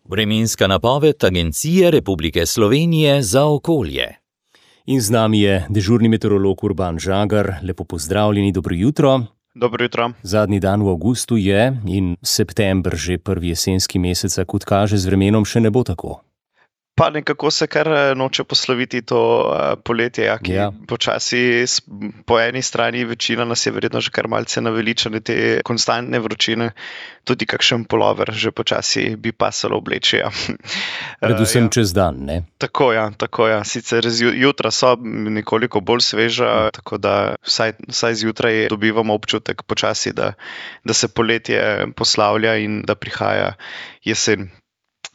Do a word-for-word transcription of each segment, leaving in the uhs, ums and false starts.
Vremenska napoved Agencije Republike Slovenije za okolje. In z nami je dežurni meteorolog Urban Žagar. Lepo pozdravljeni, dobro jutro. Dobro jutro. Zadnji dan v avgustu je in september, že prvi jesenski mesec, kot kaže, z vremenom še ne bo tako. Pa nekako se kar noče posloviti to uh, poletje, ja, ki Ja. počasi s- po eni strani večina nas je verjetno že kar malce naveličane te konstantne vročine, tudi kakšen polover že počasi bi pasalo obleči. Ja. Predvsem Eh, ja. čez dan, ne? Tako ja, tako ja. Sicer zju- jutra so nekoliko bolj sveža, tako da vsaj, vsaj zjutraj dobivamo občutek počasi, da, da se poletje poslavlja in da prihaja jesen.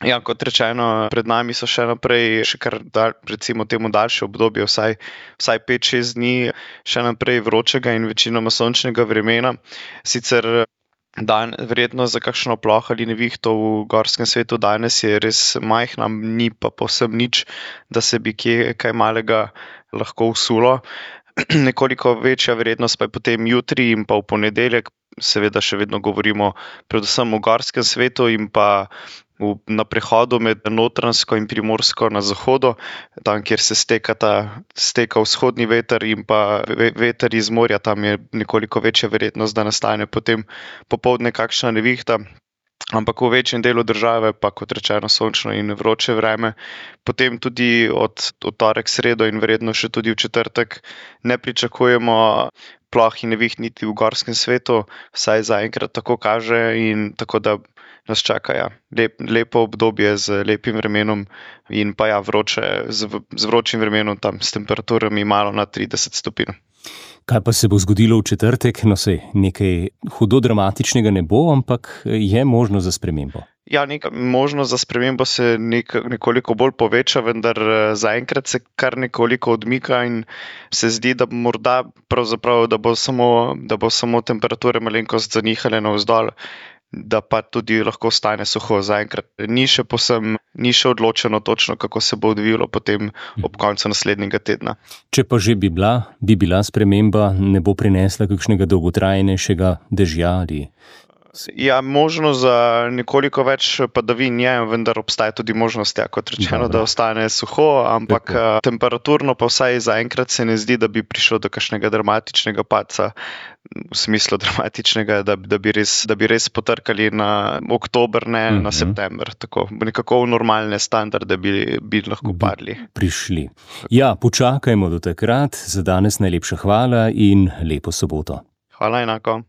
Ja, kot rečeno, pred nami so še naprej, še kar dal, recimo temu daljše obdobje, vsaj, vsaj pet šest dni, še naprej vročega in večinoma sončnega vremena. Sicer dan, verjetno za kakšno ploh ali nevihto v gorskem svetu danes je res majhna, ni pa povsem nič, da se bi kje kaj malega lahko usulo. Nekoliko večja verjetnost pa je potem jutri in pa v ponedeljek, seveda še vedno govorimo predvsem o gorskem svetu in pa v, na prehodu med Notranjsko in Primorsko na zahodu, tam, kjer se stekata, steka vzhodni veter in pa ve- veter iz morja, tam je nekoliko večja verjetnost, da nastane potem popoldne kakšna nevihta. Ampak v večjem delu države pa, kot rečeno, sončno in vroče vreme. Potem tudi od, od torek, sredo in verjetno še tudi v četrtek ne pričakujemo ploh in neviht niti v gorskem svetu, vsaj zaenkrat tako kaže, in tako da nas čaka ja, lep, lepo obdobje z lepim vremenom in pa ja, vroče, z, v- z vročim vremenom, tam s temperaturami malo nad trideset stopinj. Kaj pa se bo zgodilo v četrtek? No, sej, nekaj hudo dramatičnega ne bo, ampak je možno za spremembo. Ja, neka možnost za spremembo se nek, nekoliko bolj poveča, vendar eh, zaenkrat se kar nekoliko odmika in se zdi, da morda pravzaprav, da bo samo, da bo samo temperature malenkost zanihale navzdol, da pa tudi lahko stane suho. Zaenkrat ni še posem, ni še odločeno točno, kako se bo odvijalo potem ob koncu naslednjega tedna. Če pa že bi bila, bi bila sprememba, ne bo prinesla kakšnega dolgotrajnejšega dežja ali... Ja, možno za nekoliko več padavin je, vendar obstaja tudi možnost, ja, kot rečeno, Dobro. da ostane suho, ampak Lepo. eh, temperaturno pa vsaj zaenkrat se ne zdi, da bi prišlo do kakšnega dramatičnega padca, v smislu dramatičnega, da, da, bi, res, da bi res potrkali na oktober, ne Mhm. na september. Tako, nekako v normalne standarde bi, bi lahko Bi padli. prišli. Ja, počakajmo do takrat. Za danes najlepša hvala in lepo soboto. Hvala enako.